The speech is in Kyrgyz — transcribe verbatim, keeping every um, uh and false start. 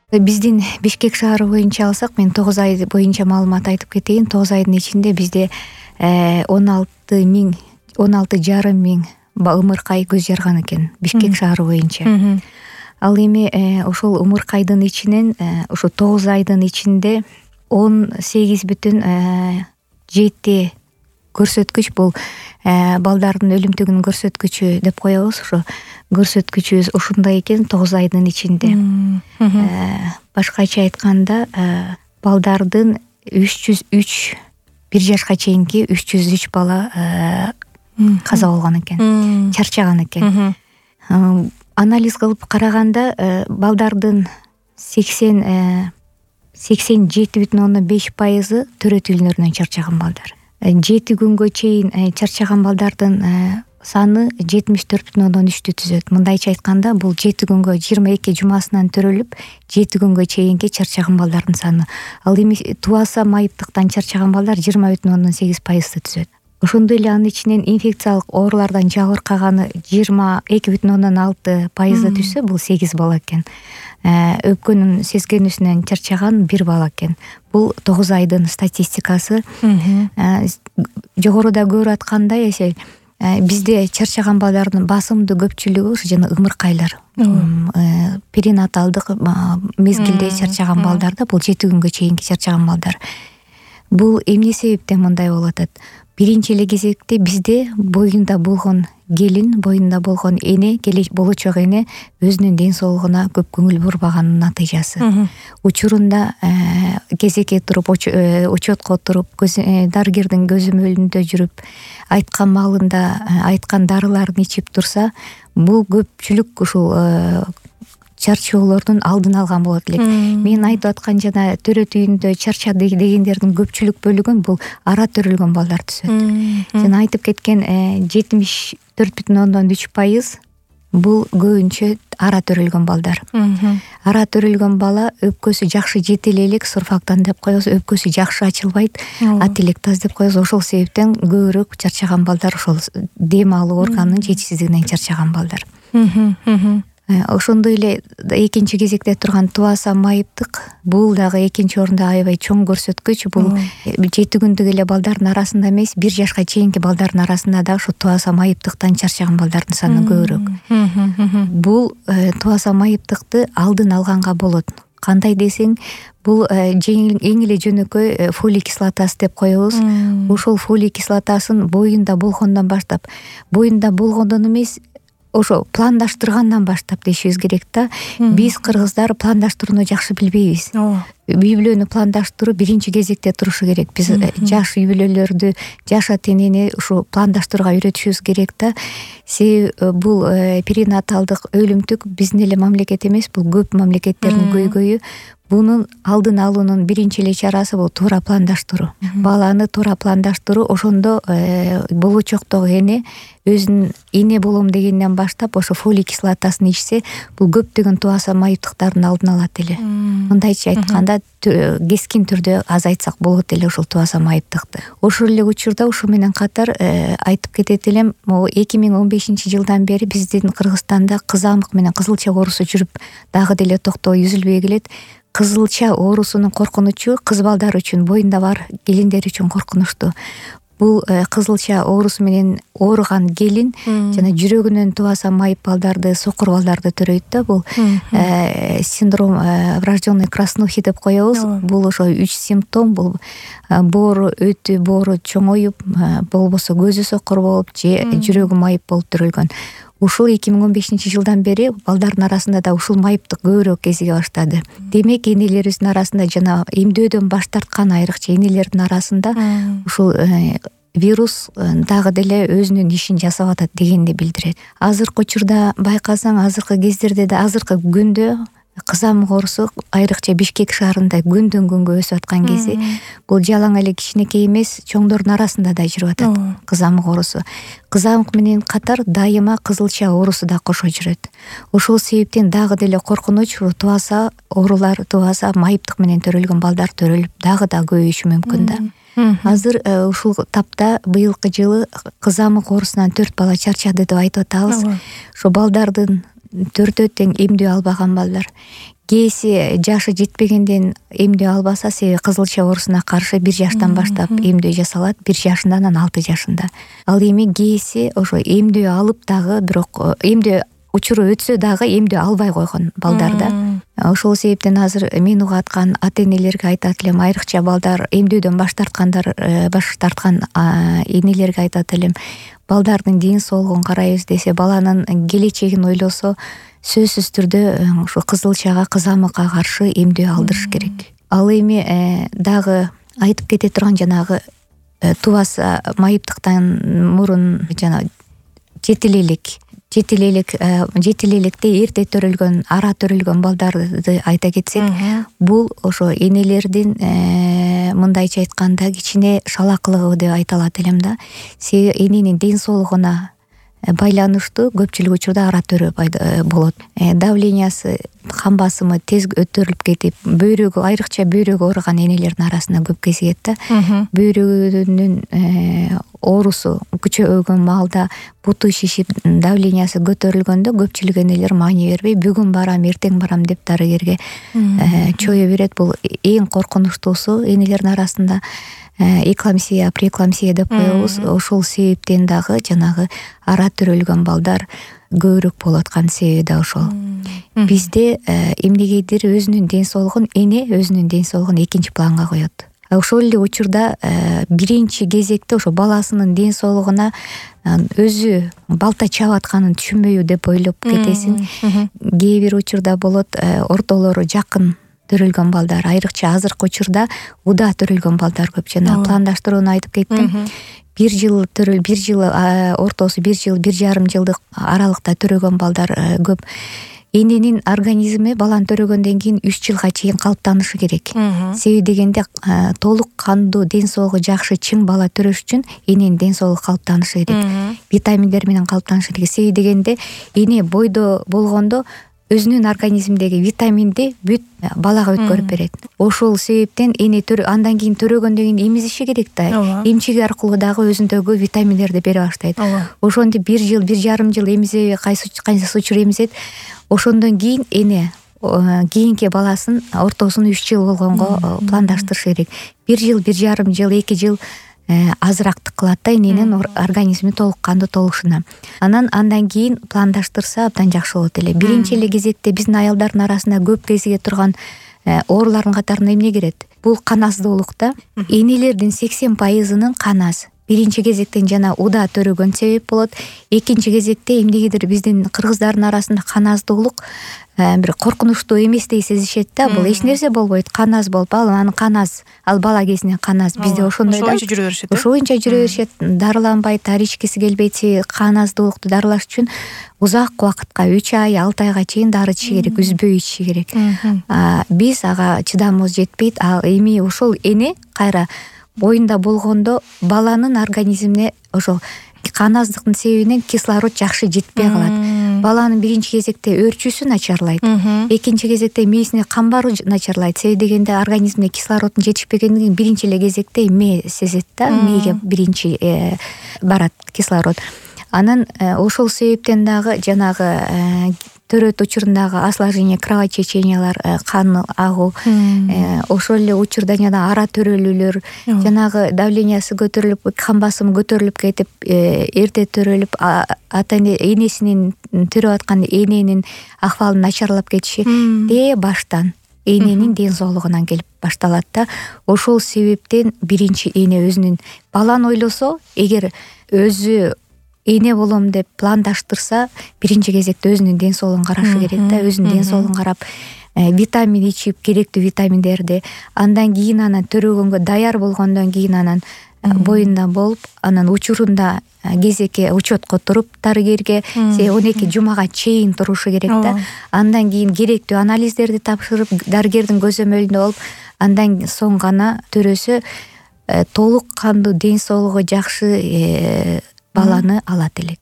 Биздин Бишкек шаары боюнча алсак, мен тогуз ай боюнча маалымат айтып кетейин. тогуз айдын ичинде бизде он алты миң он алты жарым миң ымыркай көз жарган экен Бишкек шаары боюнча. Ал эми ошол ымыркайдын ичинен ушу тогуз айдын ичинде он сегиз бүтүн жети көрсөткүч, бул балдардын өлүмтүгүнүн көрсөткүчү деп коебуз. Ошо көрсөткүчүбүз ушундай экен тогуз айдын ичинде. Башкача айтканда, балдардын үч жүз үч бир жашка чейинки үч жүз үч бала каза болгон экен, чарчаган экен. Анализ кылып караганда балдардын сексен сексен жети бүтүн ондон беш пайызы төрөт үйлөрүнөн чарчаган балдар. Жети күнгө чейин чарчаган балдардын саны жетимиш төрт бүтүн ондон үчтү түзөт. Мындайча айтканда, бул жети күнгө жыйырма эки жумасынан төрөлүп, жети күнгө чейинки чарчаган балдардын саны. Ал эми тубаса майыптыктан чарчаган балдар жыйырма бүтүн ондон сегиз пайызды түзөт. Ошондой эле анын ичинен инфекциялык оорулардан жабыркаганы жыйырма эки бүтүн ондон алты пайызды түзсө, бул сегиз бала экен. Өпкөнүн сескенүүсүнөн чарчаган бир бала экен. Бул тогуз айдын статистикасы. Жогоруда көрүп аткандай, бизде чарчаган балдардын басымдуу көпчүлүгү ушу жана ымыркайлар. Перинаталдык мезгилде чарчаган балдарда, бул жети күнгө чейинки чарчаган балдар. Бул эмне себептен мындай болуп атат? Биринчи эле кезекте бизде боюнда болгон келин, боюнда болгон эне, болочок эне өзүнүн ден соолугуна көп көңүл бурбаганын натыйжасы. Учурунда кезекке туруп, учетко туруп, дарыгердин көзөмөлүндө жүрүп, айткан маалында айткан дарыларын ичип турса, бул көпчүлүк ушул чарчоолордун алдын алган болот элек. Мен айтып аткан жана төрөт үйүндө чарчады дегендердин көпчүлүк бөлүгүн бул ара төрөлгөн балдар түзөт. Жана айтып кеткен жетимиш төрт бүтүн ондон үч пайыз бул көбүнчө ара төрөлгөн балдар. Ара төрөлгөн бала өпкөсү жакшы жетиле элек, сурфактан деп коебуз, өпкөсү жакшы ачылбайт, ателектаз деп коебуз. Ошол себептен көбүрөөк чарчаган балдар ошол дем алуу органынын жетишсиздигинен чарчаган балдар. Ошондой эле экинчи кезекте турган тубаса майыптык, бул дагы экинчи орунда аябай чоң көрсөткүч. Бул жети күндүк эле балдардын арасында эмес, бир жашка чейинки балдардын арасында да ушу тубаса майыптыктан чарчаган балдардын саны көбүрөөк. Бул тубаса майыптыкты алдын алганга болот. Кандай десең, бул эң эле жөнөкөй фолий кислотасы деп коебуз. Ошол фолий кислотасын боюнда болгондон баштап, боюнда болгондон эмес, ошо пландаштыргандан баштап дешибиз керек да. Биз кыргыздар пландаштырууну жакшы билбейбиз. Үй бүлөнү пландаштыруу биринчи кезекте турушу керек. Биз жаш үй бүлөлөрдү, жаш ата-энени ушу пландаштырууга үйрөтүшүбүз керек да. Себеби бул перинаталдык өлүмтүк биздин эле мамлекет эмес, бул көп мамлекеттердин көйгөйү. Бунун алдын алуунун биринчи эле чарасы бул туура пландаштыруу. Баланы туура пландаштыруу. Ошондо болочоктогу эне өзүнүн эне болом дегенден баштап ошо фолий кислотасын ичсе, бул көптөгөн тубаса майыптыктардын алдын алат эле. Мындайча айтканда, кескин түрдө азайтсак болот эле ушул тубаса майыптыкты. Ошол эле учурда ушу менен катар айтып кетет элем, эки миң он бешинчи жылдан бери биздин Кыргызстанда кызамык менен кызылча оорусу жүрүп, дагы деле токтоо үзүлбөй келет. Кызылча оорусунун коркунучу кыз балдар үчүн, боюнда бар келиндер үчүн коркунучтуу. Бул кызылча оорусу менен ооруган келин жана жүрөгүнөн тубаса майып балдарды, сокур балдарды төрөйт да. Бул синдром врожденной краснухи деп коебуз. Бул ошо үч симптом. Бул боору өтү, боору чоңоюп, болбосо көзү сокур болуп же жүрөгү майып болуп төрөлгөн. Ушул эки миң он бешинчи жылдан бери балдардын арасында да ушул майыптык көбүрөөк кезиге баштады. Демек, энелерибиздин арасында жана эмдөөдөн баш тарткан айрыкча энелердин арасында ушул вирус дагы деле өзүнүн ишин жасап атат дегенди билдирет. Азыркы учурда байкасаң, азыркы кездерде да, азыркы күндө кызамык оорусу айрыкча Бишкек шаарында күндөн күнгө өсүп аткан кези, бул жалаң эле кичинекей эмес, чоңдордун арасында да жүрүп атат кызамык оорусу. Кызамык менен катар дайыма кызылча оорусу да кошо жүрөт. Ошол себептен дагы деле коркунуч тубаса оорулар, тубаса майыптык менен төрөлгөн балдар төрөлүп дагы да көбөйүшү мүмкүн да. Азыр ушул тапта быйылкы жылы кызамык оорусунан төрт бала чарчады деп айтып атабыз. Ошо балдардын төртөө тең эмдөө албаган балдар, кээси жашы жетпегенден эмдөө албаса, себеби кызылча оорусуна каршы бир жаштан баштап эмдөө жасалат, бир жашында анан алты жашында. Ал эми кээси ошо эмдөө алып дагы, бирок эмдөө учуру өтсө дагы эмдөө албай койгон балдар да. Ошол себептен азыр мен угаткан ата-энелерге айтат элем, айрыкча балдар эмдөөдөн баш тарткандар, баш тарткан энелерге айтат элем, балдардын ден соолугун карайбыз десе, баланын келечегин ойлосо, сөзсүз түрдө ушу кызылчага, кызамыкка каршы эмдөө алдырыш керек. Ал эми дагы айтып кете турган жанагы тубаса майыптыктан мурун жана жети эле элек жети эле элек жети эле электе эрте төрөлгөн, ара төрөлгөн балдарды айта кетсек, бул ошо энелердин мындайча айтканда кичине шалакылыгы деп айта алат элем да. Себеби эненин ден соолугуна байланыштуу көпчүлүк учурда ара төрө болот. Давлениясы, кан басымы тез көтөрүлүп кетип, бөйрөгү, айрыкча бөйрөгү ооруган энелердин арасында көп кезигет да. Бөйрөгүнүн оорусу күчөгөн маалда буту шишип, давлениясы көтөрүлгөндө көпчүлүк энелер маани бербей, бүгүн барам, эртең барам деп дарыгерге чое берет. Бул эң коркунучтуусу энелердин арасында экламсия, преэкламсия деп коебуз. Ошол себептен дагы жанагы ара төрөлгөн балдар көбүрөөк болуп аткан себеби да ошол. Бизде эмнегедир өзүнүн ден соолугун, эне өзүнүн ден соолугун экинчи планга коет. Ошол эле учурда биринчи кезекте ошо баласынын ден соолугуна өзү балта чаап атканын түшүнбөйбү деп ойлоп кетесиң. Кээ бир учурда болот, ортолору жакын төрөлгөн балдар, айрыкча азыркы учурда уда төрөлгөн балдар көп. Жана пландаштырууну айтып кеттим. Бир жыл төрөл, бир жыл ортосу, бир жыл, бир жарым жылдык аралыкта төрөгөн балдар көп. Эненин организми баланы төрөгөндөн кийин үч жылга чейин калыптанышы керек. Себеби дегенде толук кандуу, ден соолугу жакшы, чың бала төрөш үчүн эненин ден соолугу калыптанышы керек. Витаминдер менен калыптанышы керек. Себеби дегенде эне бойдо болгондо өзүнүн организмдеги витаминди бүт балага өткөрүп берет. Ошол себептен эне андан кийин төрөгөндөн кийин эмизиши керек да. Эмчиги аркылуу дагы өзүндөгү витаминдерди бере баштайт. Ошондо бир жыл, бир жарым жыл эмизебей, кайсы кайсы учур эмизет. Ошондон кийин эне кийинки баласын ортосун үч жыл болгонго пландаштырыш керек. Бир жыл, бир жарым жыл, эки жыл азырактык кылат да эненин организми толук кандуу толушуна. Анан андан кийин пландаштырса абдан жакшы болот эле. Биринчи эле кезекте биздин аялдардын арасында көп кезиге турган оорулардын катарына эмне кирет? Бул кан аздуулук да. Энелердин сексен пайызынын кан аз. Биринчи кезектен жана уда төрөгөн себеп болот. Экинчи кезекте эмнегедир биздин кыргыздардын арасында кан аздуулук бир коркунучтуу эместей сезишет да. Бул эч нерсе болбойт, кан аз болуп, ал анын кан аз, ал бала кезинен кан аз. Бизде ошондой да. Ошо боюнча жүрө беришет. Ошо боюнча жүрө беришет. Дарыланбайт, дары ичкиси келбейт. Кан аздуулукту дарылаш үчүн узак убакытка, үч ай, алты айга чейин дары ичиши керек, үзбөй ичиши керек. Биз ага чыдамыбыз жетпейт. Ал эми ошол эне кайра боюнда болгондо баланын организмине ошо кан аздыктын себебинен кислород жакшы жетпей калат. Баланын биринчи кезекте өөрчүүсү начарлайт. Экинчи кезекте мээсине кан баруу начарлайт. Себеби дегенде организмине кислороддун жетишпегендигин биринчи эле кезекте мээ сезет да. Мээге биринчи барат кислород. Анан ошол себептен дагы жанагы төрөт учурундагы осложнение, кровотечениялар, кан агуу, ошол эле учурда жана ара төрөлүүлөр, жанагы давлениясы көтөрүлүп, кан басымы көтөрүлүп кетип, эрте төрөлүп, ата энесинин төрөп аткан эненин акыбалын начарлап кетиши де баштан эненин ден соолугунан келип башталат да. Ошол себептен биринчи эне өзүнүн баланы ойлосо, эгер өзү эне болом деп пландаштырса, биринчи кезекте өзүнүн ден соолугун карашы керек да. Өзүнүн ден соолугун карап, витамин ичип, керектүү витаминдерди, андан кийин анан төрөгөнгө даяр болгондон кийин анан боюнда болуп, анан учурунда кезекке учетко туруп дарыгерге он эки жумага чейин турушу керек да. Андан кийин керектүү анализдерди тапшырып, дарыгердин көзөмөлүндө болуп, андан соң гана төрөсө толук кандуу, ден соолугу жакшы баланы алат элек.